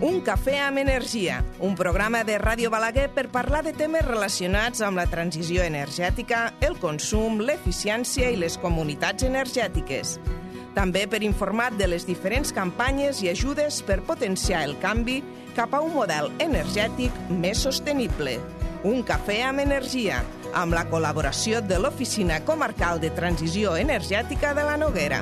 Un cafè amb energia, un programa de Ràdio Balaguer per parlar de temes relacionats amb la transició energètica, el consum, l'eficiència i les comunitats energètiques. També per informar de les diferents campanyes i ajudes per potenciar el canvi cap a un model energètic més sostenible. Un cafè amb energia, amb la col·laboració de l'Oficina Comarcal de Transició Energètica de la Noguera.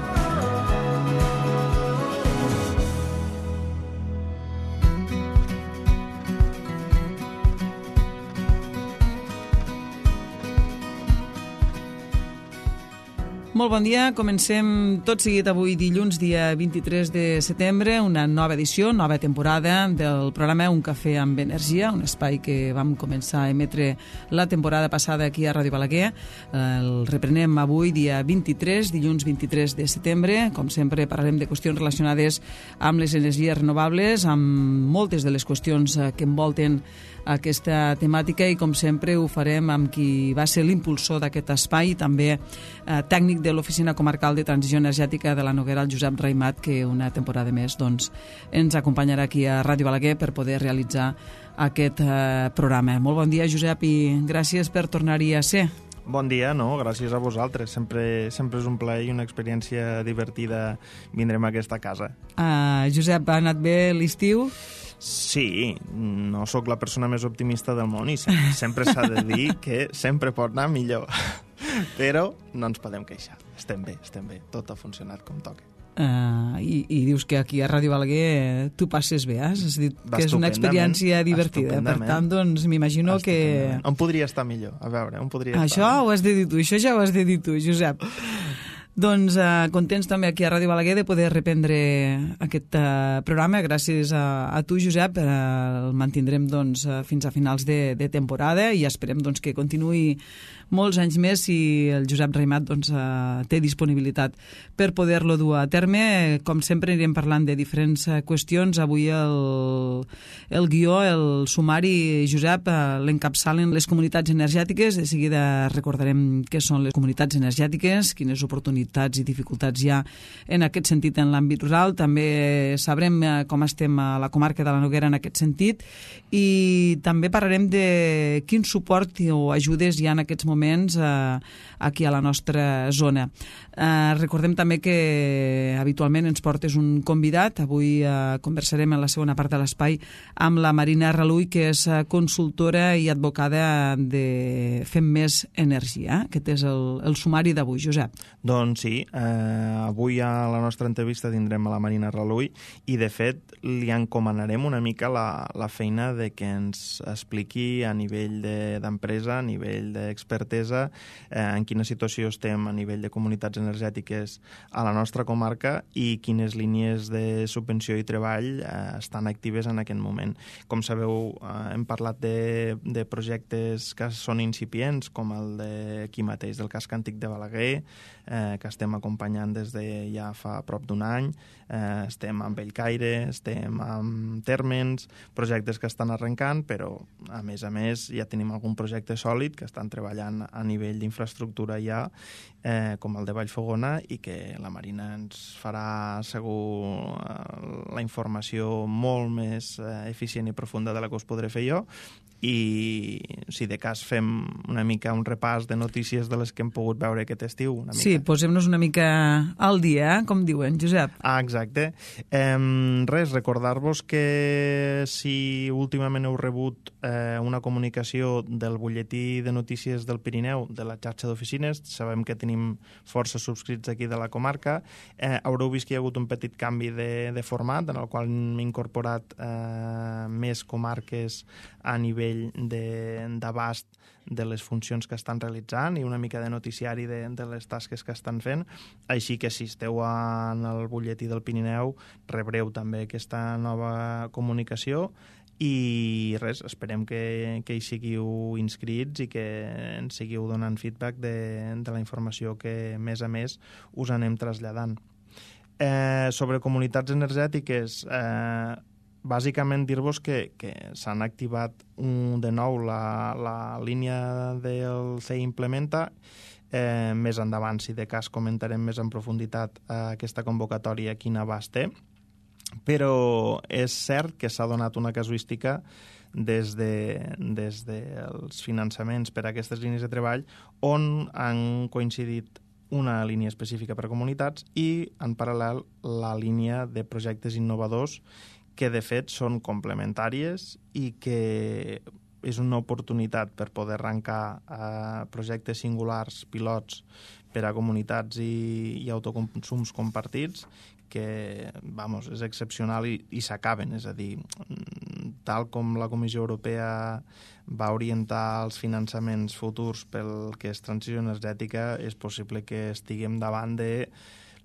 Molt bon dia, comencem tot seguit avui dilluns, dia 23 de setembre, una nova edició, nova temporada del programa Un cafè amb energia, un espai que vam començar a emetre la temporada passada aquí a Ràdio Balaguer. El reprenem avui, dia 23, dilluns 23 de setembre. Com sempre, parlarem de qüestions relacionades amb les energies renovables, amb moltes de les qüestions que envolten aquesta temàtica i, com sempre, ho farem amb qui va ser l'impulsor d'aquest espai, també tècnic de l'Oficina Comarcal de Transició Energètica de la Noguera, el Josep Raimat, que una temporada més ens acompanyarà aquí a Ràdio Balaguer per poder realitzar aquest programa. Molt bon dia, Josep, i gràcies per tornar-hi a ser. Bon dia, gràcies a vosaltres. Sempre és un plaer i una experiència divertida vindrem a aquesta casa. Josep, ha anat bé l'estiu? Sí, no sóc la persona més optimista del món i sempre s'ha de dir que sempre pot anar millor. Però no ens podem queixar. Estem bé. Tot ha funcionat com toca. I dius que aquí a Ràdio Balaguer tu passes bé, has dit que és una experiència divertida. Per tant, doncs, m'imagino que... On podria estar millor? A veure, on podria estar? Això ho has de dir tu, això ja ho has de dir tu, Josep. Doncs contents també aquí a Ràdio Balaguer de poder reprendre aquest programa. Gràcies a tu, Josep. El mantindrem fins a finals de temporada i esperem que continuï molts anys més si el Josep Raimat té disponibilitat per poder-lo dur a terme. Com sempre anirem parlant de diferents qüestions. Avui el guió, el sumari, Josep, l'encapçalen les comunitats energètiques. De seguida recordarem què són les comunitats energètiques, quines oportunitats i dificultats hi ha en aquest sentit en l'àmbit rural. També sabrem com estem a la comarca de la Noguera en aquest sentit i també parlarem de quin suport o ajudes hi ha en aquests moments aquí a la nostra zona. Recordem també que habitualment ens portes un convidat. Avui conversarem en la segona part de l'espai amb la Marina Raluy, que és consultora i advocada de Fem Més Energia. Aquest és el sumari d'avui, Josep. Doncs sí, avui a la nostra entrevista tindrem a la Marina Raluy i, de fet, li encomanarem una mica la feina de que ens expliqui a nivell d'empresa, a nivell d'expertesa, en quina situació estem a nivell de comunitats energètiques a la nostra comarca i quines línies de subvenció i treball estan actives en aquest moment. Com sabeu, hem parlat de projectes que són incipients, com el d'aquí mateix, del casc antic de Balaguer, que estem acompanyant des de ja fa prop d'un any. Estem amb Bellcaire, estem amb Térmens, projectes que estan arrencant, però a més ja tenim algun projecte sòlid que estan treballant a nivell d'infraestructura ja, com el de Vallfogona, i que la Marina ens farà segur la informació molt més eficient i profunda de la que us podré fer jo. I si de cas fem una mica un repàs de notícies de les que hem pogut veure aquest estiu. Sí, posem-nos una mica al dia, com diuen, Josep. Exacte. Recordar-vos que si últimament heu rebut una comunicació del butlletí de notícies del Pirineu, de la xarxa d'oficines, sabem que tenim força subscrits aquí de la comarca, haureu vist que hi ha hagut un petit canvi de format, en el qual hem incorporat més comarques a nivell d'abast de les funcions que estan realitzant i una mica de noticiari de les tasques que estan fent. Així que si esteu en el butlletí del Pirineu rebreu també aquesta nova comunicació i esperem que hi siguiu inscrits i que ens seguiu donant feedback de la informació que més a més us anem traslladant. Sobre comunitats energètiques, bàsicament dir-vos que s'han activat de nou la línia del CEI Implementa. Més endavant, si de cas, comentarem més en profunditat aquesta convocatòria, quin abast té. però és cert que s'ha donat una casuística des dels finançaments per a aquestes línies de treball on han coincidit una línia específica per a comunitats i, en paral·lel, la línia de projectes innovadors que, de fet, són complementàries i que és una oportunitat per poder arrencar projectes singulars, pilots, per a comunitats i autoconsums compartits que, és excepcional i s'acaben. És a dir, tal com la Comissió Europea va orientar els finançaments futurs pel que és transició energètica, és possible que estiguem davant de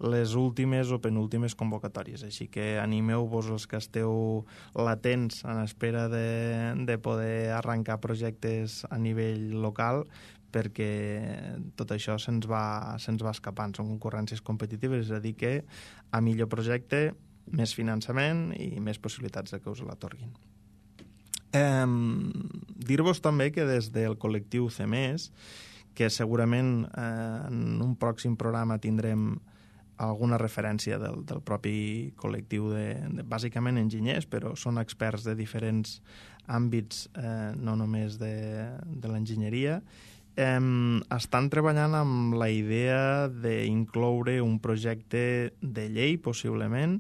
les últimes o penúltimes convocatòries. Així que animeu-vos els que esteu latents en espera de poder arrencar projectes a nivell local, perquè tot això se'ns va escapant. Són concurrències competitives, és a dir que a millor projecte, més finançament i més possibilitats de que us l'atorguin. Dir-vos també que des del col·lectiu CEMES, que segurament en un pròxim programa tindrem alguna referència del propi col·lectiu bàsicament enginyers, però són experts de diferents àmbits, no només de l'enginyeria, estan treballant amb la idea d'incloure un projecte de llei, possiblement,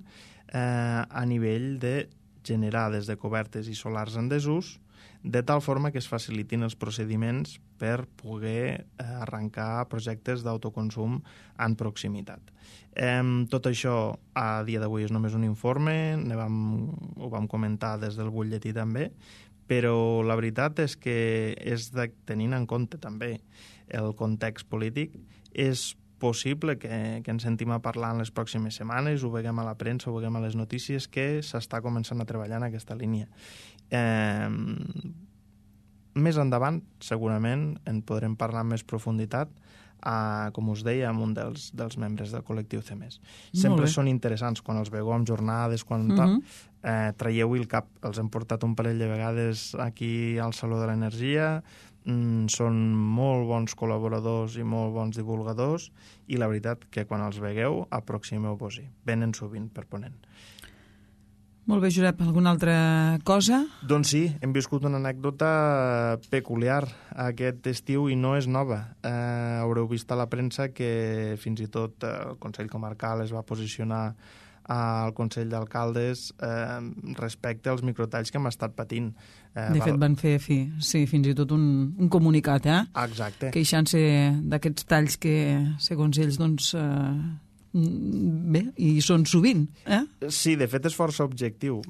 a nivell de generar des de cobertes i solars en desús, de tal forma que es facilitin els procediments per poder arrencar projectes d'autoconsum en proximitat. Tot això a dia d'avui és només un informe, ho vam comentar des del butlletí també, però la veritat és que tenint en compte també el context polític, és possible que ens sentim a parlar en les pròximes setmanes, ho veiem a la premsa, ho veiem a les notícies, que s'està començant a treballar en aquesta línia. Més endavant, segurament, en podrem parlar amb més profunditat, com us deia, amb un dels membres del col·lectiu CEMES. Sempre són interessants quan els veieu amb jornades, quan traieu-hi el cap. Els hem portat un parell de vegades aquí al Saló de l'Energia, són molt bons col·laboradors i molt bons divulgadors i la veritat que quan els vegueu aproximeu-vos-hi. Venen sovint per Ponent. Molt bé, Josep. Alguna altra cosa? Doncs sí, hem viscut una anècdota peculiar aquest estiu i no és nova. Haureu vist a la premsa que fins i tot el Consell Comarcal es va posicionar al Consell d'Alcaldes respecte als microtalls que hem estat patint. De fet, van fer fins i tot un comunicat, Exacte. Queixant-se d'aquests talls que, segons ells, doncs, bé, i són sovint, Sí, de fet és força objectiu.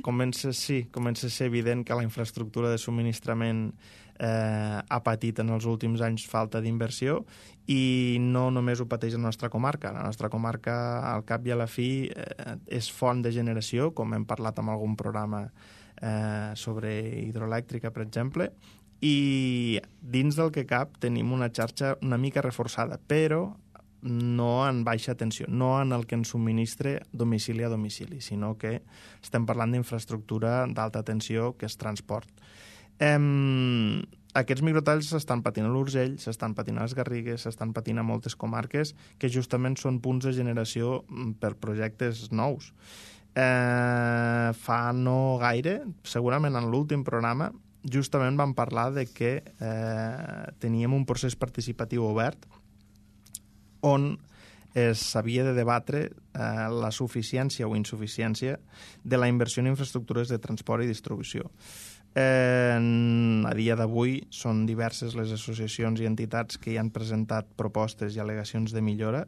Comença a ser evident que la infraestructura de subministrament ha patit en els últims anys falta d'inversió i no només ho pateix la nostra comarca. La nostra comarca, al cap i a la fi, és font de generació, com hem parlat en algun programa sobre hidroelèctrica, per exemple, i dins del que cap tenim una xarxa una mica reforçada, però no en baixa tensió, no en el que ens subministra domicili a domicili, sinó que estem parlant d'infraestructura d'alta tensió, que és transport. Aquests microtalls s'estan patint a l'Urgell, s'estan patint a les Garrigues, s'estan patint a moltes comarques que justament són punts de generació per projectes nous. Fa no gaire, segurament en l'últim programa, justament vam parlar de que teníem un procés participatiu obert on s'havia de debatre la suficiència o insuficiència de la inversió en infraestructures de transport i distribució. A dia d'avui són diverses les associacions i entitats que hi han presentat propostes i al·legacions de millora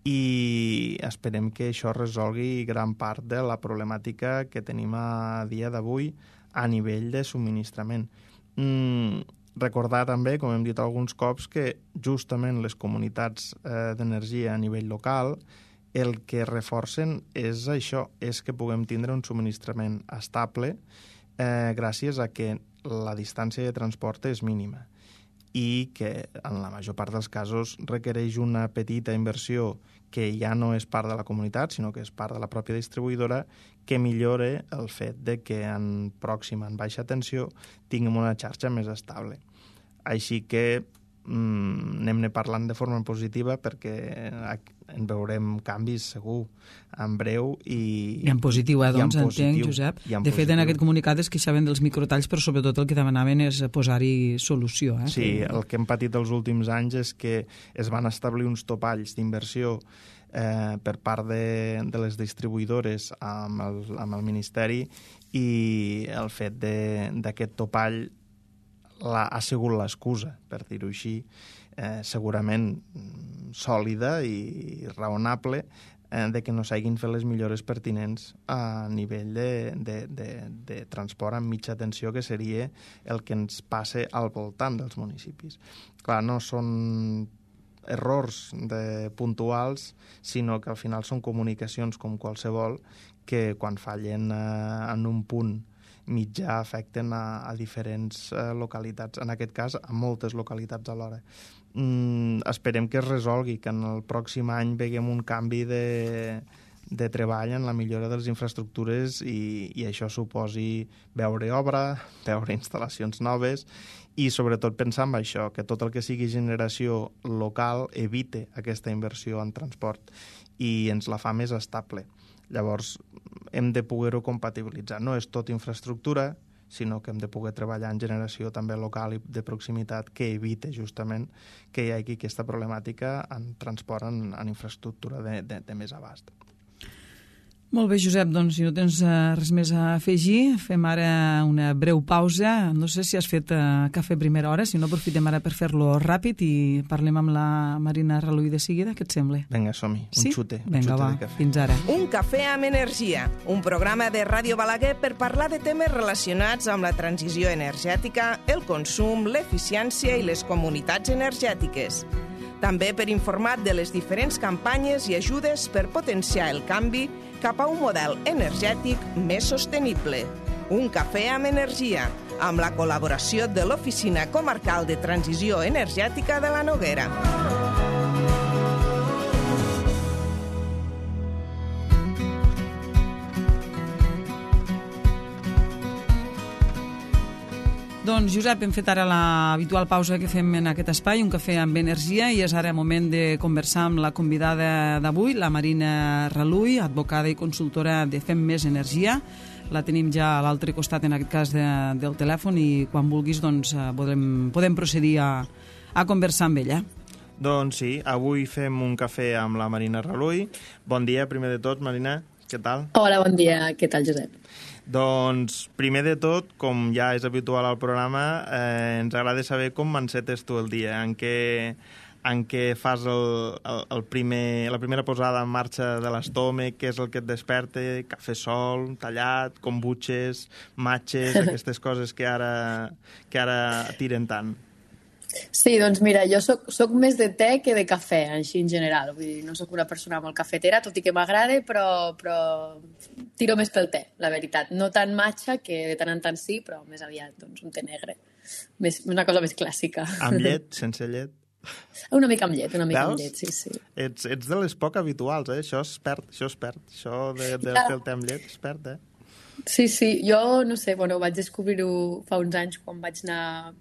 i esperem que això resolgui gran part de la problemàtica que tenim a dia d'avui a nivell de subministrament. Recordar també, com hem dit alguns cops, que justament les comunitats d'energia a nivell local el que reforcen és això, és que puguem tindre un subministrament estable gràcies a que la distància de transport és mínima i que en la major part dels casos requereix una petita inversió que ja no és part de la comunitat, sinó que és part de la pròpia distribuïdora, que millore el fet de que en pròxima, en baixa tensió, tinguem una xarxa més estable. Així que anem-ne parlant de forma positiva perquè en veurem canvis segur en breu i en positiu, doncs entenc, Josep. De fet, en aquest comunicat es queixaven dels microtalls, però sobretot el que demanaven és posar-hi solució. Sí, el que hem patit els últims anys és que es van establir uns topalls d'inversió per part de les distribuïdores amb el Ministeri, i el fet d'aquest topall ha sigut l'excusa, per dir-ho així, segurament sòlida i raonable, de que no s'hagin fet les millores pertinents a nivell de transport amb mitja tensió, que seria el que ens passa al voltant dels municipis. Clar, no són errors puntuals, sinó que al final són comunicacions com qualsevol, que quan fallen en un punt mitjà afecten a diferents localitats, en aquest cas a moltes localitats alhora. Esperem que es resolgui, que en el pròxim any veiem un canvi de treball en la millora de les infraestructures i això suposi veure obra, veure instal·lacions noves i sobretot pensar en això, que tot el que sigui generació local evite aquesta inversió en transport i ens la fa més estable. Llavors, hem de poder-ho compatibilitzar. No és tot infraestructura, sinó que hem de poder treballar en generació també local i de proximitat que evite justament que hi hagi aquesta problemàtica en transport en infraestructura de més abast. Molt bé, Josep, doncs si no tens res més a afegir, fem ara una breu pausa. No sé si has fet cafè a primera hora, si no aprofitem ara per fer-lo ràpid i parlem amb la Marina Raluy de seguida. Què et sembla? Vinga, som-hi, un xute. Vinga, va, fins ara. Un cafè amb energia, un programa de Ràdio Balaguer per parlar de temes relacionats amb la transició energètica, el consum, l'eficiència i les comunitats energètiques. També per informar de les diferents campanyes i ajudes per potenciar el canvi cap a un model energètic més sostenible. Un cafè amb energia, amb la col·laboració de l'Oficina Comarcal de Transició Energètica de la Noguera. Doncs, Josep, hem fet ara l'habitual pausa que fem en aquest espai, un cafè amb energia, i és ara moment de conversar amb la convidada d'avui, la Marina Raluy, advocada i consultora de Fem Més Energia. La tenim ja a l'altre costat, en aquest cas, del telèfon, i quan vulguis doncs, podem procedir a conversar amb ella. Doncs sí, avui fem un cafè amb la Marina Raluy. Bon dia, primer de tot, Marina. Què tal? Hola, bon dia. Què tal, Josep? Doncs, primer de tot, com ja és habitual al programa, ens agrada saber com encetes tu el dia, en què fas la primera posada en marxa de l'estòmac, què és el que et desperta, cafè sol, tallat, kombuches, matxes, aquestes coses que ara tiren tant. Sí, doncs mira, jo soc més de te que de cafè, així en general. Vull dir, no soc una persona molt cafetera, tot i que m'agrada, però tiro més pel te, la veritat. No tan matxa, que de tant en tant sí, però més aviat doncs, un te negre. Una cosa més clàssica. Amb llet, sense llet? Una mica amb llet, amb llet, sí. Ets de les poc habituals, eh? Això es perd. Això de fer el te amb llet es perd, eh? Sí, jo, no sé, vaig descobrir-ho fa uns anys quan vaig anar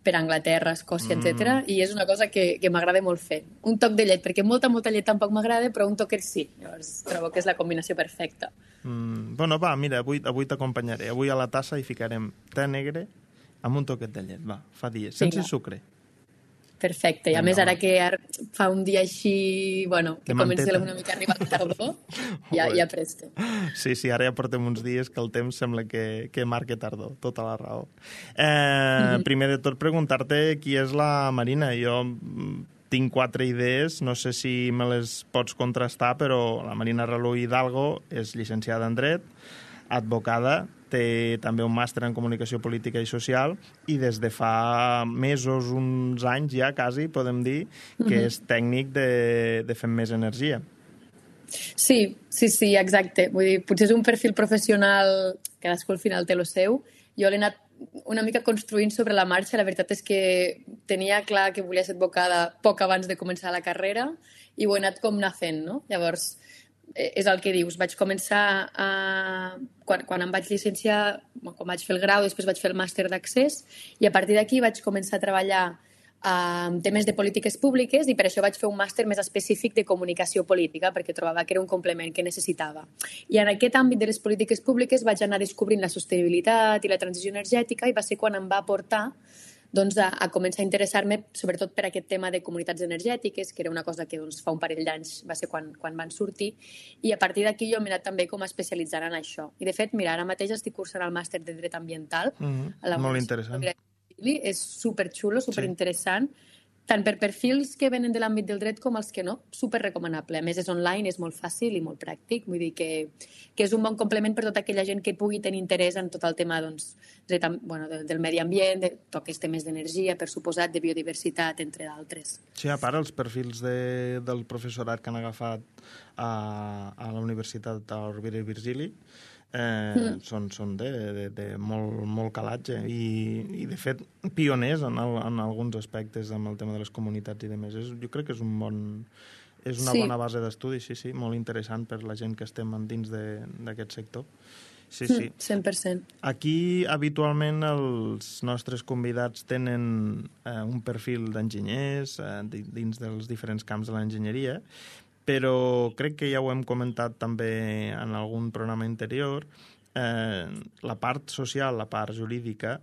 per Anglaterra, Escòcia, etc. I és una cosa que m'agrada molt fer. Un toc de llet, perquè molta llet tampoc m'agrada, però un toquet sí. Llavors trobo que és la combinació perfecta. Bueno, va, mira, avui t'acompanyaré. Avui a la tassa hi ficarem te negre amb un toquet de llet, va, fa dies, sense sucre. Perfecte, i a més ara que fa un dia així, que comença una mica a arribar la tardor, ja presto. Sí, ara ja portem uns dies que el temps sembla que marca tardor, tota la raó. Primer de tot, preguntar-te qui és la Marina. Jo tinc 4 idees, no sé si me les pots contrastar, però la Marina Raluy Hidalgo és llicenciada en Dret, advocada, té també un màster en Comunicació Política i Social i des de fa mesos, uns anys ja, quasi, podem dir, que és tècnic de Fem Més Energia. Sí, exacte. Vull dir, potser és un perfil professional, cadascú al final té lo seu. Jo l'he anat una mica construint sobre la marxa. La veritat és que tenia clar que volia ser advocada poc abans de començar la carrera i ho he anat com anar fent, no? Llavors, és el que dius, vaig començar quan em vaig llicenciar, quan vaig fer el grau, després vaig fer el màster d'accés i a partir d'aquí vaig començar a treballar temes de polítiques públiques, i per això vaig fer un màster més específic de comunicació política, perquè trobava que era un complement que necessitava. I en aquest àmbit de les polítiques públiques vaig anar descobrint la sostenibilitat i la transició energètica, i va ser quan em va portar a començar a interessar-me sobretot per aquest tema de comunitats energètiques, que era una cosa que fa un parell d'anys va ser quan van sortir, i a partir d'aquí jo m'he anat també com a especialitzar en això. I de fet, mira, ara mateix estic cursant el màster de Dret Ambiental. Molt interessant. És superxulo, superinteressant, tant per perfils que venen de l'àmbit del dret com els que no, superrecomanable. A més, és online, és molt fàcil i molt pràctic, vull dir que és un bon complement per tota aquella gent que pugui tenir interès en tot el tema del medi ambient, de tots aquests temes d'energia, per suposat, de biodiversitat, entre d'altres. Sí, a part, els perfils del professorat que han agafat a la Universitat Rovira i Virgili són de molt calatge i de fet pioners en alguns aspectes amb el tema de les comunitats i demés. Jo crec que és una bona base d'estudi, sí, molt interessant per la gent que estem dins d'aquest sector. Sí. 100%. Aquí, habitualment, els nostres convidats tenen un perfil d'enginyers dins dels diferents camps de l'enginyeria, però crec que ja ho hem comentat també en algun programa anterior, la part social, la part jurídica,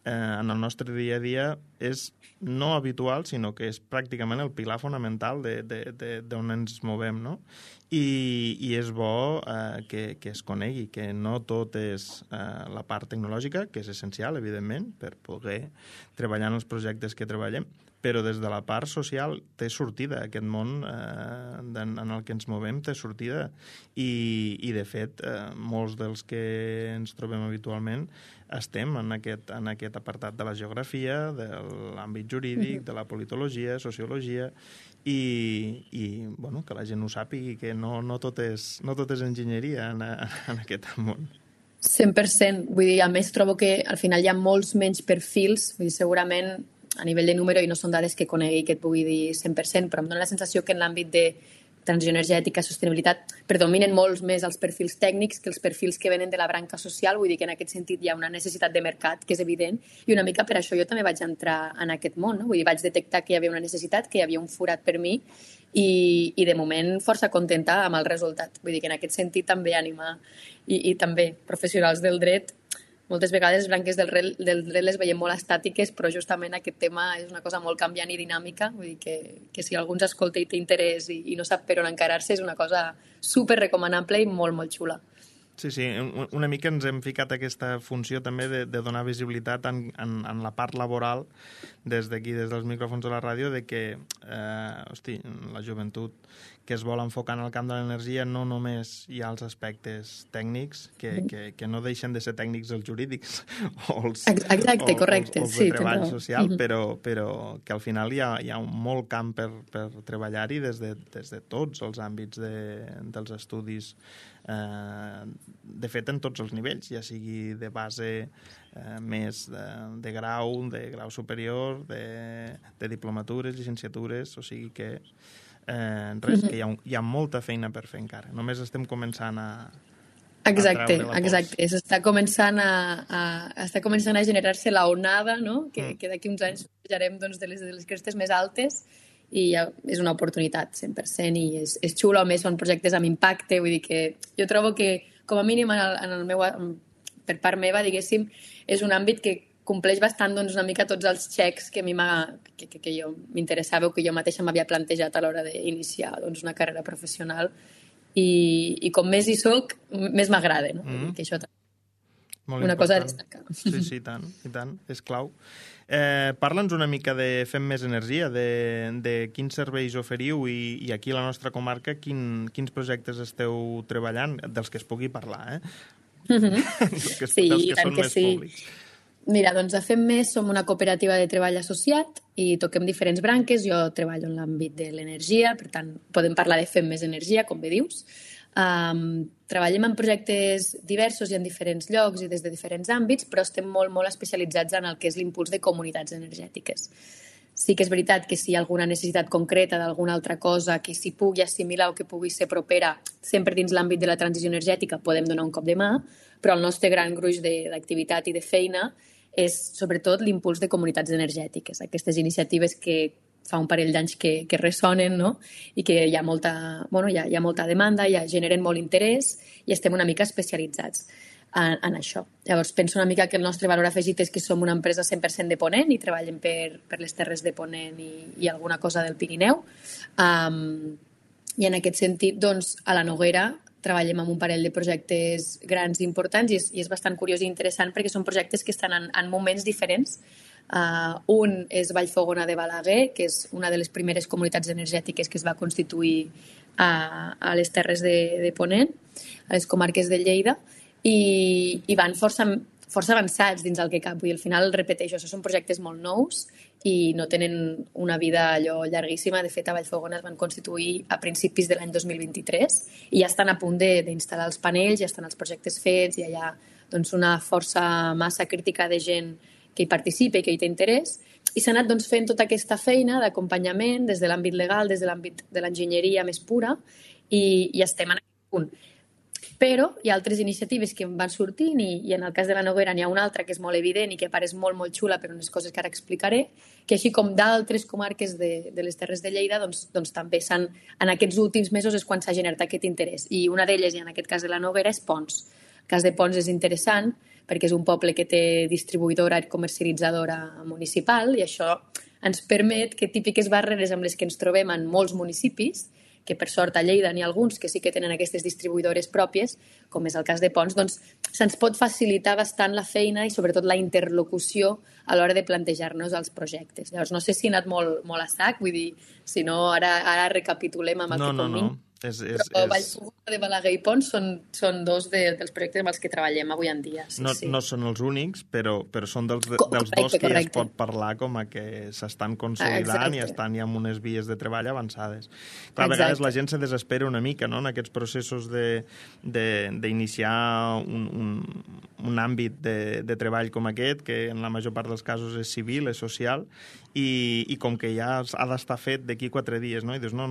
en el nostre dia a dia és no habitual, sinó que és pràcticament el pilar fonamental d'on ens movem, no? I és bo que es conegui, que no tot és la part tecnològica, que és essencial, evidentment, per poder treballar en els projectes que treballem, però des de la part social té sortida. Aquest món en el que ens movem té sortida i de fet, molts dels que ens trobem habitualment estem en aquest apartat de la geografia, de l'àmbit jurídic, de la politologia, sociologia, i bueno, que la gent ho sàpiga, que no tot és enginyeria en aquest món. 100%. Vull dir, a més, trobo que al final hi ha molts menys perfils, vull dir, segurament a nivell de número, i no són dades que conegui que et pugui dir 100%, però em dóna la sensació que en l'àmbit de transició energètica, sostenibilitat, predominen molts més els perfils tècnics que els perfils que venen de la branca social. Vull dir que en aquest sentit hi ha una necessitat de mercat, que és evident, i una mica per això jo també vaig entrar en aquest món, no? Vull dir, vaig detectar que hi havia una necessitat, que hi havia un forat per mi, i de moment força contenta amb el resultat. Vull dir que en aquest sentit també ànima i també professionals del dret. Moltes vegades les branques del dret les veiem molt estàtiques, però justament aquest tema és una cosa molt canviant i dinàmica. Vull dir que si algú ens escolta i té interès i no sap per on encarar-se, és una cosa super recomanable i molt, molt xula. Sí, una mica ens hem ficat aquesta funció també de donar visibilitat en la part laboral des d'aquí, des dels micròfons de la ràdio, de que la joventut que es vol enfocar en el camp de l'energia no només hi ha els aspectes tècnics, que no deixen de ser tècnics els jurídics o els de treball social, però que al final hi ha un molt camp per treballar-hi des de tots els àmbits dels estudis, de fet en tots els nivells, ja sigui de base més de grau superior, de diplomatures, llicenciatures, o sigui que que hi ha molta feina per fer encara. Només estem començant a Exacte. Està començant a generar-se la onada, no? Que d'aquí uns anys pujarem de les crestes més altes, i ja és una oportunitat 100%, i és xulo. A més, són projectes amb impacte, vull dir que jo trobo que, com a mínim per part meva, diguéssim, és un àmbit que compleix bastant una mica tots els xecs que a mi que jo m'interessava o que jo mateixa m'havia plantejat a l'hora d'iniciar una carrera professional, i com més hi soc, més m'agrada, no? Que això molt una cosa a destacar. Sí, i tant, és clau. Parla'ns una mica de Fem Més Energia, de quins serveis oferiu, i aquí a la nostra comarca quins projectes esteu treballant, dels que es pugui parlar, Sí, tant que sí. Públics. Mira, doncs a Fem Més som una cooperativa de treball associat i toquem diferents branques. Jo treballo en l'àmbit de l'energia, per tant, podem parlar de Fem Més Energia, com bé dius. Treballem en projectes diversos i en diferents llocs i des de diferents àmbits, però estem molt, molt especialitzats en el que és l'impuls de comunitats energètiques. Sí que és veritat que si hi ha alguna necessitat concreta d'alguna altra cosa que s'hi pugui assimilar o que pugui ser propera, sempre dins l'àmbit de la transició energètica podem donar un cop de mà, però el nostre gran gruix d'activitat i de feina és sobretot l'impuls de comunitats energètiques, aquestes iniciatives que fa un parell d'anys que ressonen, no? I que hi ha molta demanda, generen molt interès i estem una mica especialitzats en això. Llavors, penso una mica que el nostre valor afegit és que som una empresa 100% de Ponent i treballem per les terres de Ponent i alguna cosa del Pirineu. I en aquest sentit, doncs, a la Noguera treballem amb un parell de projectes grans i importants i és bastant curiós i interessant perquè són projectes que estan en moments diferents. Un és Vallfogona de Balaguer, que és una de les primeres comunitats energètiques que es va constituir a les terres de Ponent, a les comarques de Lleida, i van força avançats dins el que cap. Vull dir, al final, repeteixo, són projectes molt nous i no tenen una vida allò llarguíssima. De fet, a Vallfogona es van constituir a principis de l'any 2023 i ja estan a punt d'instal·lar els panells, ja estan els projectes fets, ja hi ha doncs, una força massa crítica de gent que hi participa i que hi té interès, i s'ha anat doncs, fent tota aquesta feina d'acompanyament des de l'àmbit legal, des de l'àmbit de l'enginyeria més pura, i estem en aquest punt. Però hi ha altres iniciatives que van sortint i en el cas de la Noguera n'hi ha una altra que és molt evident i que pareix molt, molt xula per unes coses que ara explicaré, que així com d'altres comarques de les Terres de Lleida, doncs també en aquests últims mesos és quan s'ha generat aquest interès. I una d'elles, i en aquest cas de la Noguera, és Ponts. El cas de Ponts és interessant perquè és un poble que té distribuïdora i comercialitzadora municipal i això ens permet que típiques barreres amb les que ens trobem en molts municipis, que per sort a Lleida n'hi ha alguns que sí que tenen aquestes distribuïdores pròpies, com és el cas de Ponts, doncs se'ns pot facilitar bastant la feina i sobretot la interlocució a l'hora de plantejar-nos els projectes. Llavors, no sé si he anat molt a sac, vull dir, si no, ara recapitulem amb el que convinc. No. Però Vallfogona de Balaguer i Ponts són dos dels projectes amb els que treballem avui en dia. Sí. No són els únics, però són dels dos que ja es pot parlar com a que s'estan consolidant i estan ja amb unes vies de treball avançades. Clar, a vegades la gent se desespera una mica, no?, en aquests processos d'iniciar un àmbit de treball com aquest, que en la major part dels casos és civil, és social, i com que ja ha d'estar fet d'aquí 4 dies, no? I dius, no,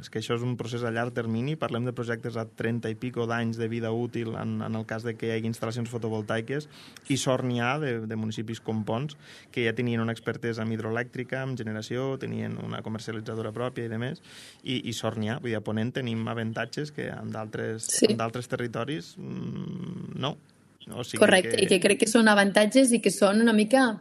és que això és un procés a llarg termini, parlem de projectes a 30 i pico d'anys de vida útil en el cas de que hi hagi instal·lacions fotovoltaiques, i sort n'hi ha de municipis com Ponts, que ja tenien una expertesa en hidroelèctrica, en generació, tenien una comercialitzadora pròpia i demés, i sort n'hi ha. Vull dir, a Ponent tenim avantatges que en d'altres territoris no. O sigui correcte, i que crec que són avantatges i que són una mica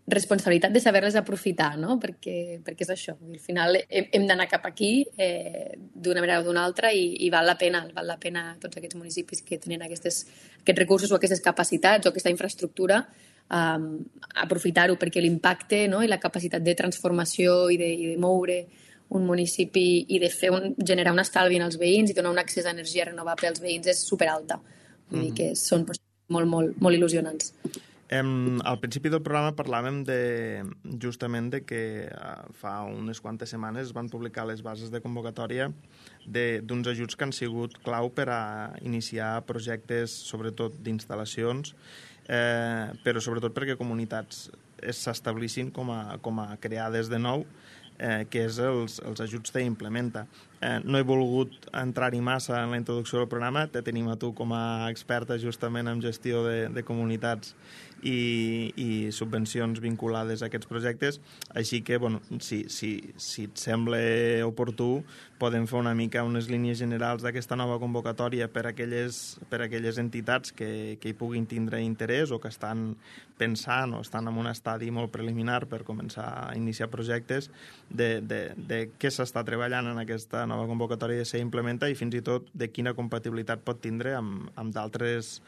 responsabilitat de saber-les aprofitar, no? Perquè és això. Al final hem d'anar cap aquí d'una manera o d'una altra i val la pena tots aquests municipis que tenen aquests recursos o aquestes capacitats o aquesta infraestructura aprofitar-ho, perquè l'impacte, no?, i la capacitat de transformació i de moure un municipi i de generar un estalvi en els veïns i donar un accés a energia renovable als veïns és superalta. Vull dir que són molt, molt, molt il·lusionants. Al principi del programa parlàvem justament de que fa unes quantes setmanes es van publicar les bases de convocatòria d'uns ajuts que han sigut clau per a iniciar projectes, sobretot d'instal·lacions, però sobretot perquè comunitats s'establissin com a creades de nou, que és els ajuts d'Implementa. No he volgut entrar-hi massa en la introducció del programa, te tenim a tu com a experta justament en gestió de comunitats i subvencions vinculades a aquests projectes, així que, bueno, si et sembla oportú, podem fer una mica unes línies generals d'aquesta nova convocatòria per a aquelles entitats que hi puguin tindre interès o que estan pensant o estan en un estadi molt preliminar per començar a iniciar projectes, de què s'està treballant en aquesta nova convocatòria de ser Implementa i fins i tot de quina compatibilitat pot tindre amb d'altres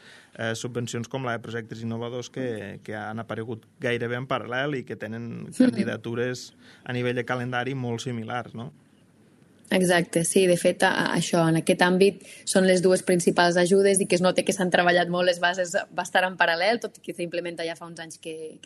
subvencions com la de projectes innovadors que han aparegut gairebé en paral·lel i que tenen candidatures a nivell de calendari molt similars, no? Exacte, sí, de fet, això, en aquest àmbit són les dues principals ajudes i que es nota que s'han treballat molt les bases bastant en paral·lel, tot i que s'Implementa ja fa uns anys que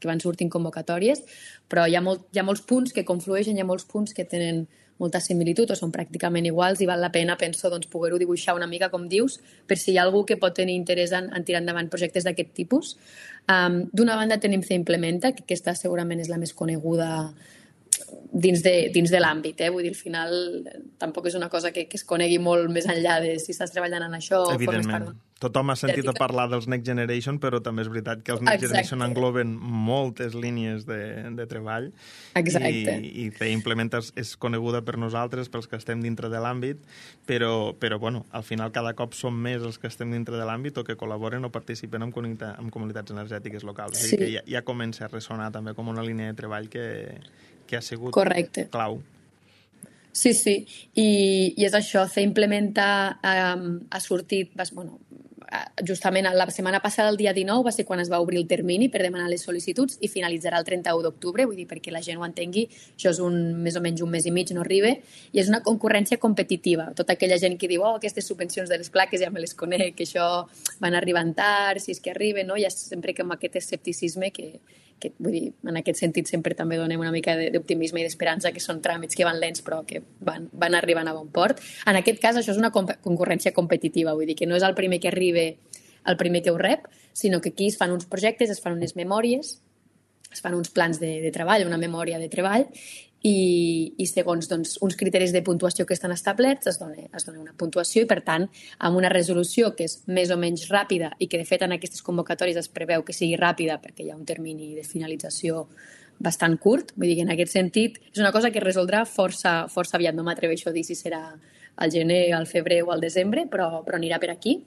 van sortint convocatòries, però hi ha molts punts que conflueixen, hi ha molts punts que tenen molta similitud o són pràcticament iguals i val la pena, penso, doncs, poder-ho dibuixar una mica, com dius, per si hi ha algú que pot tenir interès en tirar endavant projectes d'aquest tipus. D'una banda tenim Implementa, que aquesta segurament és la més coneguda dins de l'àmbit, vull dir, al final tampoc és una cosa que es conegui molt més enllà de si estàs treballant en això o formes part d'un Tothom ha sentit a parlar dels Next Generation, però també és veritat que els Next Generation engloben moltes línies de treball. Exacte. I Implementa és coneguda per nosaltres, pels que estem dintre de l'àmbit, però bueno, al final cada cop som més els que estem dintre de l'àmbit o que col·laboren o participen en comunitats energètiques locals. Sí. Que ja comença a ressonar també com una línia de treball que ha sigut clau. Sí, i és això, Implementa ha sortit, justament la setmana passada, el dia 19, va ser quan es va obrir el termini per demanar les sol·licituds i finalitzarà el 31 d'octubre, vull dir, perquè la gent ho entengui, això és més o menys un mes i mig, no arriba, i és una concurrència competitiva. Tota aquella gent que diu, aquestes subvencions de les plaques ja me les conec, que això van arribant tard, si és que arriben, no? Hi ha sempre com aquest escepticisme que vull dir, en aquest sentit sempre també donem una mica d'optimisme i d'esperança, que són tràmits que van lents però que van arribant a bon port. En aquest cas això és una concurrència competitiva, vull dir que no és el primer que arriba el primer que ho rep, sinó que aquí es fan uns projectes, es fan unes memòries, es fan uns plans de treball, una memòria de treball, i segons uns criteris de puntuació que estan establerts es dona una puntuació i, per tant, amb una resolució que és més o menys ràpida i que, de fet, en aquestes convocatòries es preveu que sigui ràpida perquè hi ha un termini de finalització bastant curt. Vull dir que, en aquest sentit, és una cosa que es resoldrà força aviat. No m'atreveixo a dir si serà al gener, al febrer o al desembre, però anirà per aquí.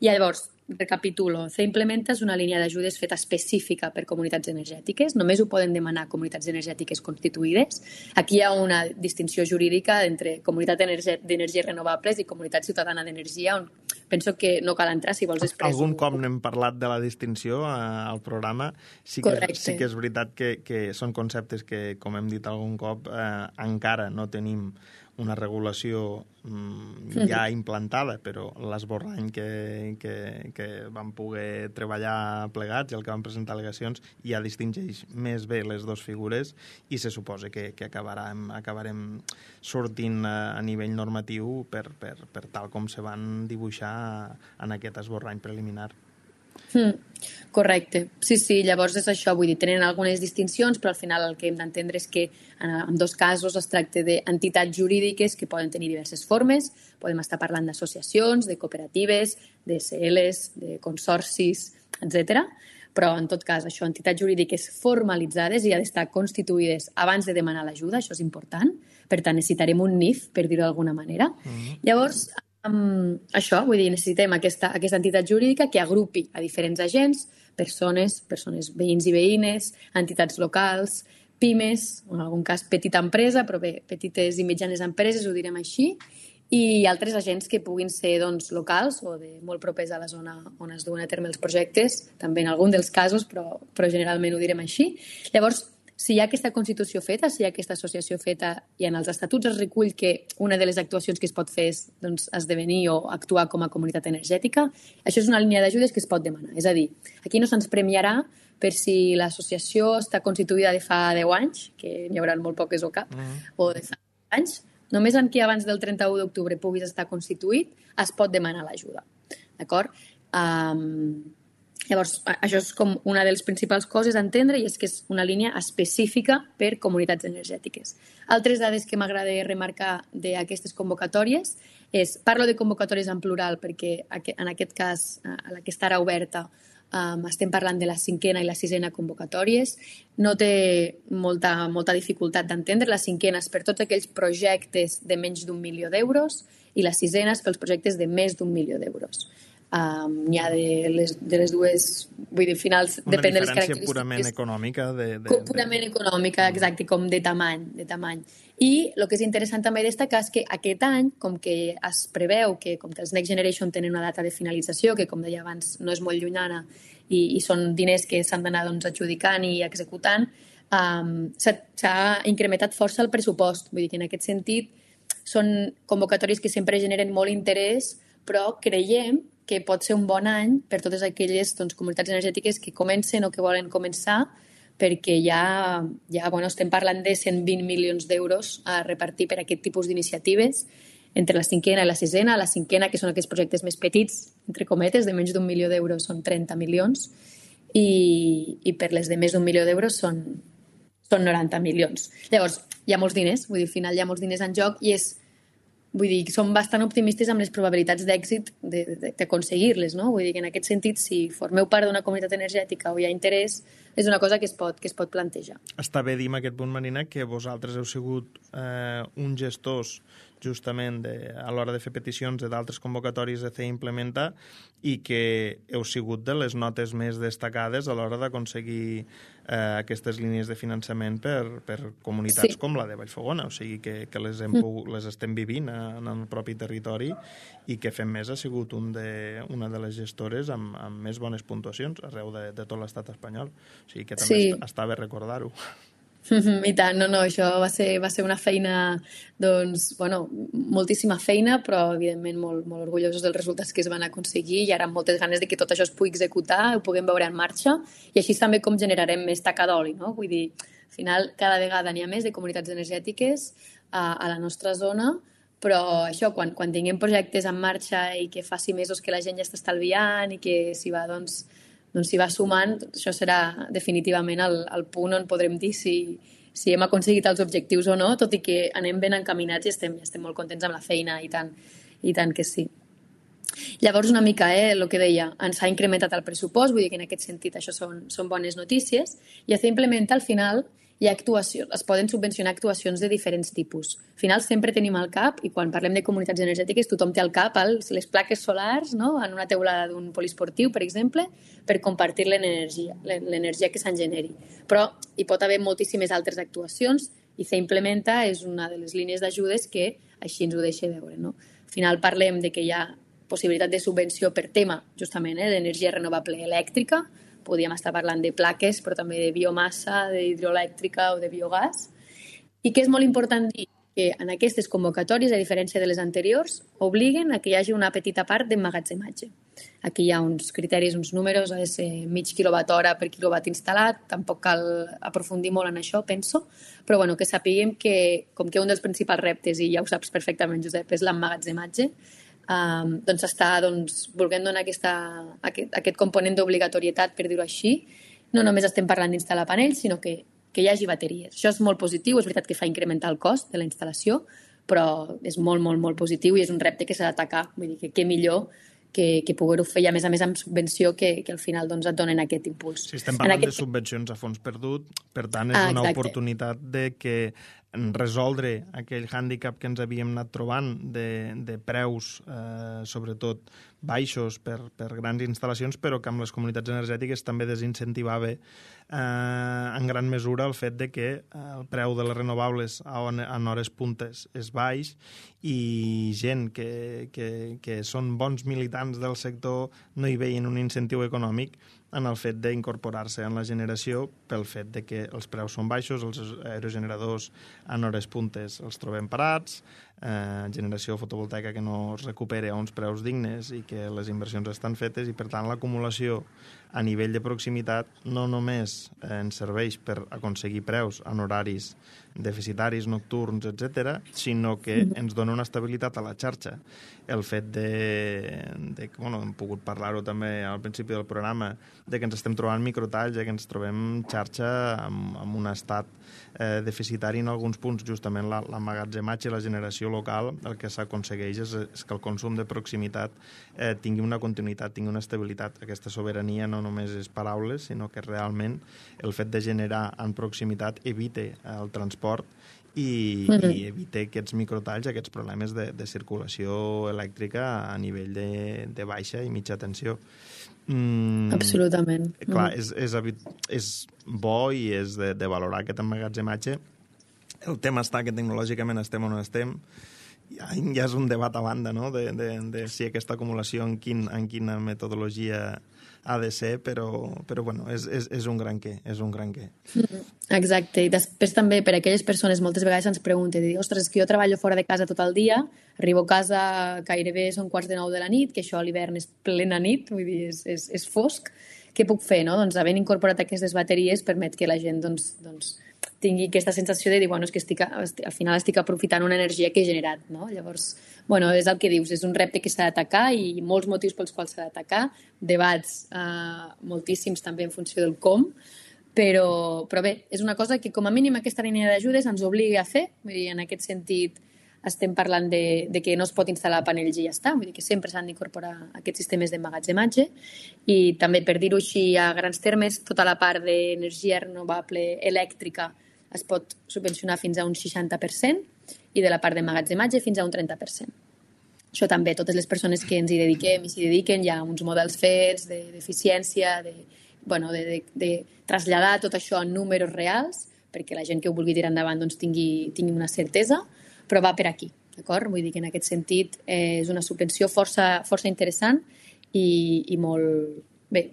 I llavors, recapitulo, Implementa és una línia d'ajudes feta específica per comunitats energètiques. Només ho poden demanar comunitats energètiques constituïdes. Aquí hi ha una distinció jurídica entre comunitat d'energies renovables i comunitat ciutadana d'energia, on penso que no cal entrar si vols després. Algun cop n'hem parlat de la distinció al programa. Sí que és veritat que són conceptes que, com hem dit algun cop, encara no tenim una regulació ja implantada, però l'esborrany que vam poder treballar plegats i el que vam presentar al·legacions ja distingeix més bé les dues figures i se suposa que acabarem sortint a nivell normatiu per tal com se van dibuixar en aquest esborrany preliminar. Correcte. Sí, llavors és això, vull dir, tenen algunes distincions, però al final el que hem d'entendre és que en dos casos es tracta d'entitats jurídiques que poden tenir diverses formes, podem estar parlant d'associacions, de cooperatives, de SLs, de consorcis, etc. Però en tot cas, això, entitats jurídiques formalitzades i ha d'estar constituïdes abans de demanar l'ajuda, això és important, per tant necessitarem un NIF, per dir-ho d'alguna manera. Llavors, això, vull dir, necessitem aquesta entitat jurídica que agrupi a diferents agents, persones veïns i veïnes, entitats locals, pimes, en algun cas petita empresa, però bé, petites i mitjanes empreses, ho direm així, i altres agents que puguin ser locals o molt propers a la zona on es duen a terme els projectes, també en algun dels casos, però generalment ho direm així. Llavors, si hi ha aquesta constitució feta, si hi ha aquesta associació feta i en els estatuts es recull que una de les actuacions que es pot fer és esdevenir o actuar com a comunitat energètica, això és una línia d'ajudes que es pot demanar. És a dir, aquí no se'ns premiarà per si l'associació està constituïda de fa 10 anys, que n'hi haurà molt poques o cap, o de fa 10 anys. Només en qui abans del 31 d'octubre puguis estar constituït es pot demanar l'ajuda. D'acord? Llavors, això és com una de les principals coses a entendre i és que és una línia específica per comunitats energètiques. Altres dades que m'agrada remarcar d'aquestes convocatòries és, parlo de convocatòries en plural perquè en aquest cas, a la que està ara oberta, estem parlant de la 5a i la 6a convocatòries. No té molta dificultat d'entendre. La 5a és per tots aquells projectes de menys d'1 milió d'euros i la 6a és pels projectes de més d'1 milió d'euros. N'hi ha de les dues, vull dir, finals, depèn de les característiques. Una diferència purament econòmica. Purament econòmica, exacte, com de tamany. I el que és interessant també destacar és que aquest any, com que es preveu que, com que els Next Generation tenen una data de finalització, que com deia abans no és molt llunyana i són diners que s'han d'anar adjudicant i executant, s'ha incrementat força el pressupost. Vull dir que en aquest sentit són convocatòries que sempre generen molt interès, però creiem que pot ser un bon any per totes aquelles comunitats energètiques que comencen o que volen començar, perquè ja estem parlant de 120 milions d'euros a repartir per aquest tipus d'iniciatives entre la 5a i la 6a. La 5a, que són aquests projectes més petits, entre cometes, de menys d'1 milió d'euros, són 30 milions, i per les de més d'1 milió d'euros són 90 milions. Llavors, hi ha molts diners, vull dir, al final hi ha molts diners en joc i és vull dir, som bastant optimistes amb les probabilitats d'èxit d'aconseguir-les, no? Vull dir que en aquest sentit, si formeu part d'una comunitat energètica o hi ha interès, és una cosa que es pot plantejar. Està bé dir en aquest punt, Marina, que vosaltres heu sigut uns gestors justament a l'hora de fer peticions d'altres convocatòries de fer implementar i que heu sigut de les notes més destacades a l'hora d'aconseguir aquestes línies de finançament per comunitats com la de Vallfogona, o sigui que les estem vivint en el propi territori i que Fem Més ha sigut una de les gestores amb més bones puntuacions arreu de tot l'estat espanyol, o sigui que també està bé recordar-ho. I tant, no, això va ser una feina, doncs, bueno, moltíssima feina, però evidentment molt, molt orgullosos dels resultats que es van aconseguir i ara amb moltes ganes de que tot això es pugui executar, ho puguem veure en marxa i així també com generarem més taca d'oli, no? Vull dir, al final cada vegada n'hi ha més de comunitats energètiques a la nostra zona, però això, quan tinguem projectes en marxa i que faci mesos que la gent ja està estalviant i que s'hi va, doncs s'hi va sumant, això serà definitivament el punt on podrem dir si hem aconseguit els objectius o no, tot i que anem ben encaminats i estem molt contents amb la feina, i tant que sí. Llavors, una mica, el que deia, ens ha incrementat el pressupost, vull dir que en aquest sentit això són bones notícies, i es implementa al final hi ha actuacions, es poden subvencionar actuacions de diferents tipus. Al final sempre tenim al cap, i quan parlem de comunitats energètiques tothom té al cap les plaques solars, no? En una teulada d'un poliesportiu, per exemple, per compartir l'energia que se'n generi. Però hi pot haver moltíssimes altres actuacions i Implementa és una de les línies d'ajudes que així ens ho deixa veure, no? Al final parlem de que hi ha possibilitat de subvenció per tema, justament, d'energia renovable elèctrica. Podríem estar parlant de plaques, però també de biomassa, d'hidroelèctrica o de biogàs. I que és molt important dir que en aquestes convocatòries, a diferència de les anteriors, obliguen a que hi hagi una petita part d'emmagatzematge. Aquí hi ha uns criteris, uns números, ha de ser mig quilowatt-hora per quilowatt instal·lat, tampoc cal aprofundir molt en això, penso, però bueno, que sapiguem que, com que un dels principals reptes, i ja ho saps perfectament, Josep, és l'emmagatzematge, doncs està volent donar aquest component d'obligatorietat, per dir-ho així. No només estem parlant d'instal·lar panells, sinó que hi hagi bateries. Això és molt positiu, és veritat que fa incrementar el cost de la instal·lació, però és molt, molt, molt positiu i és un repte que s'ha d'atacar. Vull dir que què millor que poder-ho fer, i a més amb subvenció que al final doncs, et donen aquest impuls. Si estem parlant de subvencions a fons perdut, per tant és una oportunitat de que resoldre aquell hàndicap que ens havíem anat trobant de preus, sobretot baixos per grans instal·lacions, però que amb les comunitats energètiques també desincentivava en gran mesura el fet de que el preu de les renovables en hores puntes és baix i gent que són bons militants del sector no hi veien un incentiu econòmic en el fet d'incorporar-se en la generació pel fet de que els preus són baixos, els aerogeneradors en hores puntes els trobem parats, generació fotovoltaica que no es recupera a uns preus dignes i que les inversions estan fetes i, per tant, l'acumulació a nivell de proximitat no només ens serveix per aconseguir preus en horaris deficitaris, nocturns, etc., sinó que ens dona una estabilitat a la xarxa. El fet hem pogut parlar-ho també al principi del programa, de que ens estem trobant microtalls, que ens trobem xarxa amb un estat deficitari en alguns punts. Justament l'emmagatzematge i la generació local, el que s'aconsegueix és que el consum de proximitat tingui una continuïtat, tingui una estabilitat. Aquesta sobirania no només és paraules, sinó que realment el fet de generar en proximitat evite el transport i evite aquests microtalls, aquests problemes de circulació elèctrica a nivell de baixa i mitja tensió. Absolutament. Clar, és bo i és de valorar aquest emmagatzematge. El tema està que tecnològicament estem on estem. Ja és un debat a banda, no?, de si aquesta acumulació en quina metodologia ha de ser, però bueno, és un gran què, és un gran què. Exacte, i després també per a aquelles persones moltes vegades ens pregunten, ostres, és que jo treballo fora de casa tot el dia, arribo a casa gairebé són 8:45 de la nit, que això a l'hivern és plena nit, vull dir, és fosc, què puc fer, no? Doncs havent incorporat aquestes bateries permet que la gent doncs tingui aquesta sensació de dir, bueno, és que al final estic aprofitant una energia que he generat, no? Llavors, bueno, és el que dius, és un repte que s'ha d'atacar i molts motius pels quals s'ha d'atacar, debats moltíssims també en funció del com, però bé, és una cosa que com a mínim aquesta línia d'ajudes ens obliga a fer, vull dir, en aquest sentit estem parlant de que no es pot instal·lar panells i ja està, vull dir que sempre s'han d'incorporar aquests sistemes d'emmagatzematge i també, per dir-ho així a grans termes, tota la part d'energia renovable elèctrica es pot subvencionar fins a un 60% i de la part d'emmagatzematge fins a un 30%. Això també, totes les persones que ens hi dediquem i s'hi dediquen, hi ha uns models fets d'eficiència, de traslladar tot això en números reals, perquè la gent que ho vulgui tirar endavant doncs, tingui una certesa, però va per aquí, d'acord? Vull dir que en aquest sentit és una subvenció força interessant i molt, bé,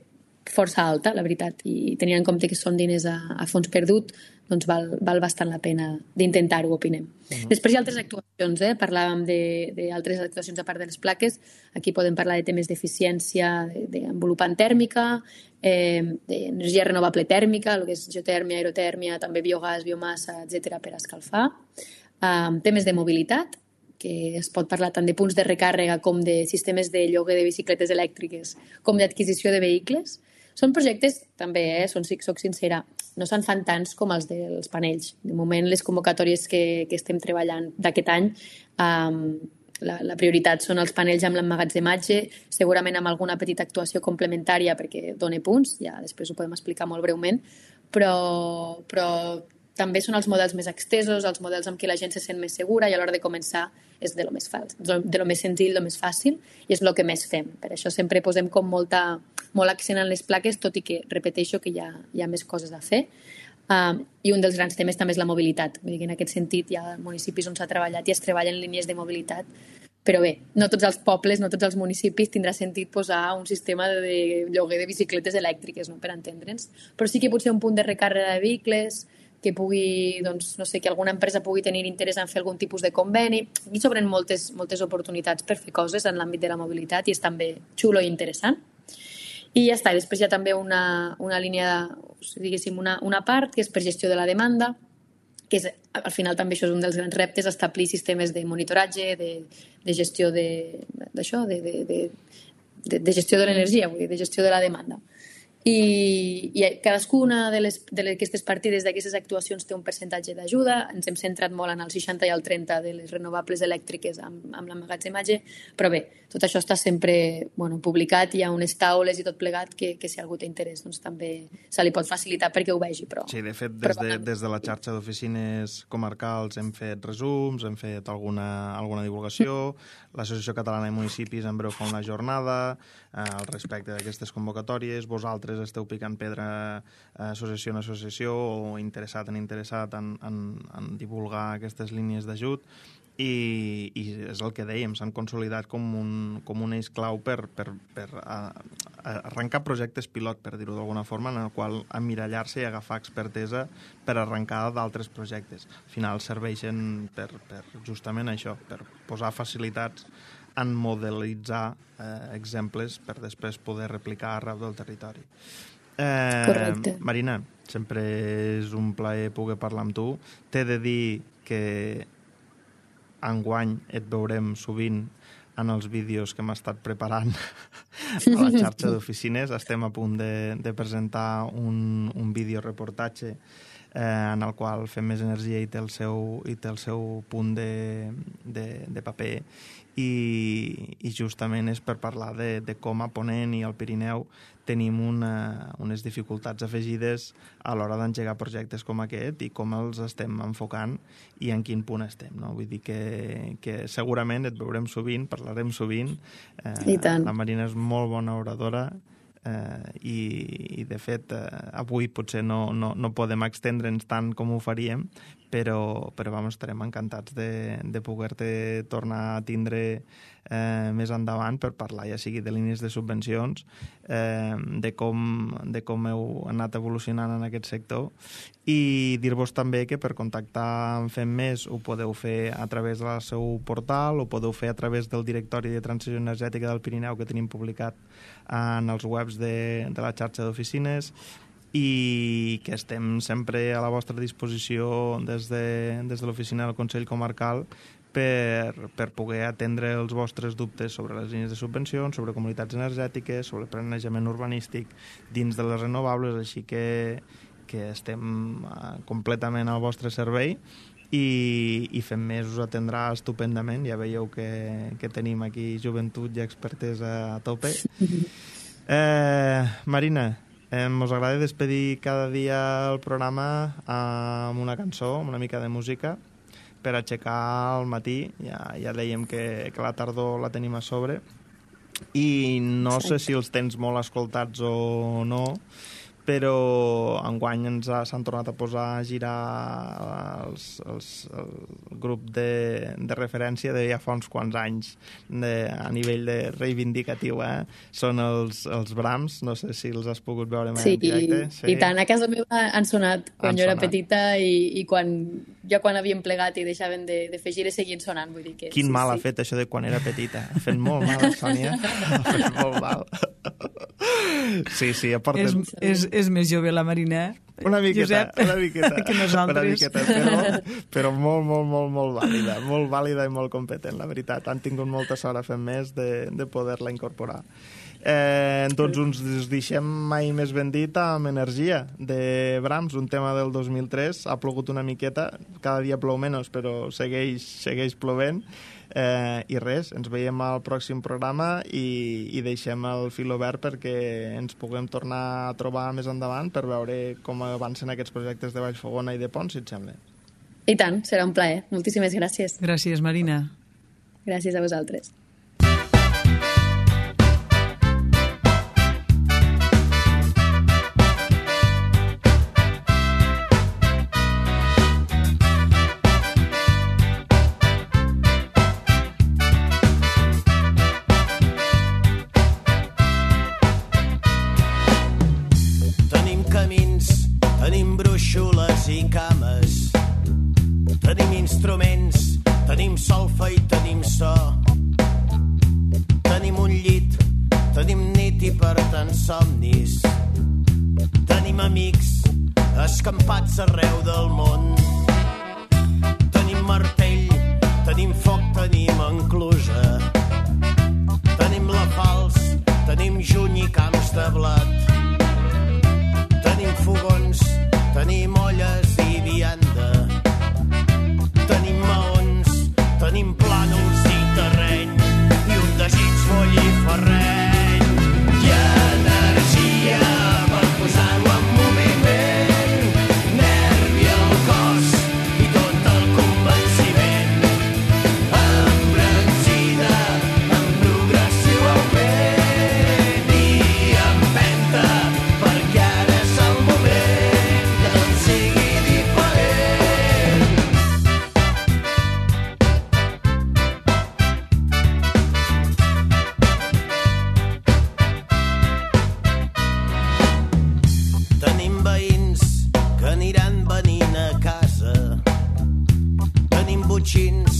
força alta, la veritat, i tenint en compte que són diners a fons perdut, doncs val bastant la pena d'intentar-ho, opinem. Després hi ha altres actuacions, parlàvem d'altres actuacions a part de les plaques, aquí podem parlar de temes d'eficiència d'envolupant tèrmica, d'energia renovable tèrmica, el que és geotèrmia, aerotèrmia, també biogàs, biomassa, etc per escalfar, temes de mobilitat, que es pot parlar tant de punts de recàrrega com de sistemes de lloguer de bicicletes elèctriques, com d'adquisició de vehicles. Són projectes, també, soc sincera, no se'n fan tants com els dels panells. De moment, les convocatòries que estem treballant d'aquest any, la prioritat són els panells amb l'emmagatzematge, segurament amb alguna petita actuació complementària perquè dona punts, ja després ho podem explicar molt breument, però també són els models més extesos, els models amb què la gent se sent més segura i a l'hora de començar és de lo més senzill, de lo més fàcil i és el que més fem. Per això sempre posem com molt accent en les plaques, tot i que repeteixo que hi ha més coses a fer. I un dels grans temes també és la mobilitat. Vull dir que en aquest sentit hi ha municipis on s'ha treballat i es treballen línies de mobilitat. Però bé, no tots els pobles, no tots els municipis tindrà sentit posar un sistema de lloguer de bicicletes elèctriques, no? Per entendre'ns. Però sí que potser un punt de recàrrega de vehicles, que pugui, doncs, no sé, que alguna empresa pugui tenir interès en fer algun tipus de conveni. Aquí s'obren moltes oportunitats per fer coses en l'àmbit de la mobilitat i és també xulo i interessant. I ja està, després hi ha també una línia, diguéssim, una part que és per gestió de la demanda, que és, al final també això és un dels grans reptes, establir sistemes de monitoratge, de gestió d'això, de gestió de l'energia, vull dir, de gestió de la demanda. I cadascuna d'aquestes partides, d'aquestes actuacions, té un percentatge d'ajuda. Ens hem centrat molt en el 60 i el 30 de les renovables elèctriques amb l'emmagatzematge, però bé, tot això està sempre publicat, hi ha unes taules i tot plegat que si algú té interès doncs també se li pot facilitar perquè ho vegi. Sí, de fet, des de la xarxa d'oficines comarcals hem fet resums, hem fet alguna divulgació, l'Associació Catalana de Municipis en breu fa una jornada al respecte d'aquestes convocatòries, vosaltres esteu picant pedra associació en associació o interessat en divulgar aquestes línies d'ajut i és el que dèiem, s'han consolidat com un eix clau per arrencar projectes pilot, per dir-ho d'alguna forma, en el qual emmirallar-se i agafar expertesa per arrencar d'altres projectes. Al final serveixen per justament això, per posar facilitats en modelitzar exemples per després poder replicar arreu del territori. Correcte. Marina, sempre és un plaer poder parlar amb tu. T'he de dir que enguany et veurem sovint en els vídeos que hem estat preparant a la xarxa d'oficines. Estem a punt de presentar un videoreportatge en el qual Fem Més Energia i té el seu punt de paper i justament és per parlar de com a Ponent i al Pirineu tenim unes dificultats afegides a l'hora d'engegar projectes com aquest i com els estem enfocant i en quin punt estem, no? Vull dir que segurament et veurem sovint, parlarem sovint. I tant. La Marina és molt bona oradora i de fet avui potser no podem extendre'ns tant com ho faríem, però estarem encantats de poder-te tornar a tindre més endavant per parlar, ja sigui de línies de subvencions, de com heu anat evolucionant en aquest sector i dir-vos també que per contactar amb Fem Més ho podeu fer a través del seu portal, ho podeu fer a través del directori de transició energètica del Pirineu que tenim publicat en els webs de la xarxa d'oficines i que estem sempre a la vostra disposició des de l'oficina del Consell Comarcal per poder atendre els vostres dubtes sobre les línies de subvencions, sobre comunitats energètiques, sobre planejament urbanístic dins de les renovables, així que estem completament al vostre servei i fent més us atendrà estupendament. Ja veieu que tenim aquí joventut i expertesa a tope. Marina, mos agrada despedir cada dia el programa amb una cançó, amb una mica de música, per aixecar el matí. Ja dèiem que la tardor la tenim a sobre, i no sé si els tens molt escoltats o no, però enguany s'han tornat a posar a girar el grup de referència de ja fa uns quants anys a nivell de reivindicatiu, són els Brahms. No sé si els has pogut veure mai en directe. Sí, i tant, a casa meva han sonat quan jo era petita, i quan havíem plegat i deixaven de fer gires seguien sonant, vull dir que... Quin mal ha fet això de quan era petita, ha fet molt mal, Sònia, ha fet molt mal. Sí, aporten... És més jove la Marina, una miqueta, que nosaltres. Però molt vàlida i molt competent, la veritat. Han tingut molta sort a fer més de poder-la incorporar. Doncs uns deixem Mai més ben dit amb Energia, de Brahms, un tema del 2003. Ha plogut una miqueta, cada dia plou menys, però segueix plovent. I res, ens veiem al pròxim programa i deixem el fil obert perquè ens puguem tornar a trobar més endavant per veure com avancen aquests projectes de Vallfogona i de Pont, si et sembla. I tant, serà un plaer. Moltíssimes gràcies. Gràcies, Marina. Gràcies a vosaltres. Tenim brúixoles i cames, tenim instruments, tenim solfa i tenim so. Tenim un llit, tenim nit i per tant somnis. Tenim amics escampats arreu del món. Tenim martell, tenim foc, tenim enclusa. Tenim la falç, tenim juny i camps de blat. Tenim fogons, tenim olles i vianda. Tenim maons, tenim plànols i terreny i un desig folliferreny. I energia per posar-ho en moviment, nervi al cos i tot el convenciment. Embranzida, en progressiu augment i empenta, perquè ara és el moment que tot sigui diferent. Tenim veïns que aniran venint a casa. Tenim botxins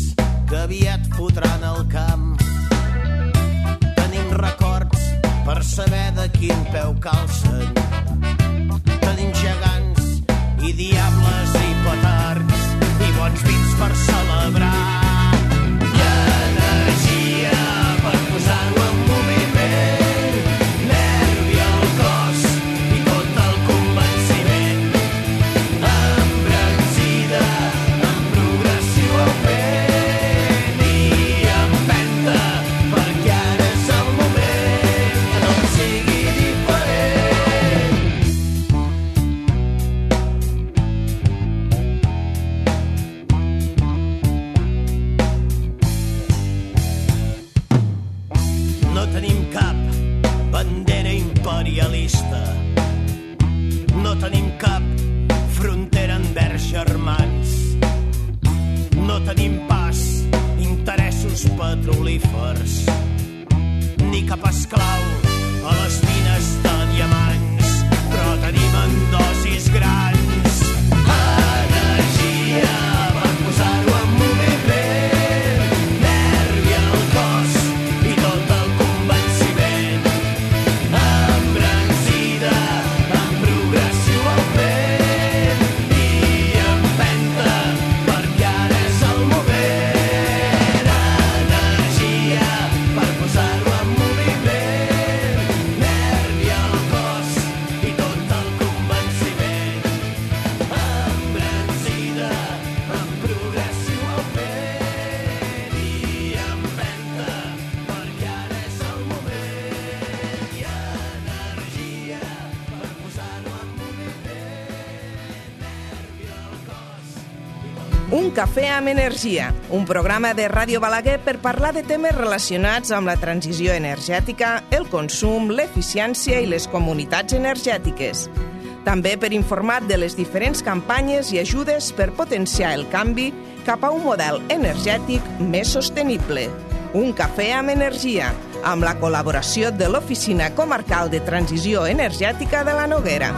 que aviat fotran al camp. Tenim records per saber de quin peu calcen. Tenim gegants i diables i petards i bons vins per celebrar. I energia per posar-ho en moviment, nervi al cos i tot el convenciment. Embranzida, en progressiu augment i empenta, perquè ara és el moment que tot sigui diferent. Un cafè amb energia, un programa de Ràdio Balaguer per parlar de temes relacionats amb la transició energètica, el consum, l'eficiència i les comunitats energètiques. També per informar de les diferents campanyes i ajudes per potenciar el canvi cap a un model energètic més sostenible. Un cafè amb energia, amb la col·laboració de l'Oficina Comarcal de Transició Energètica de la Noguera.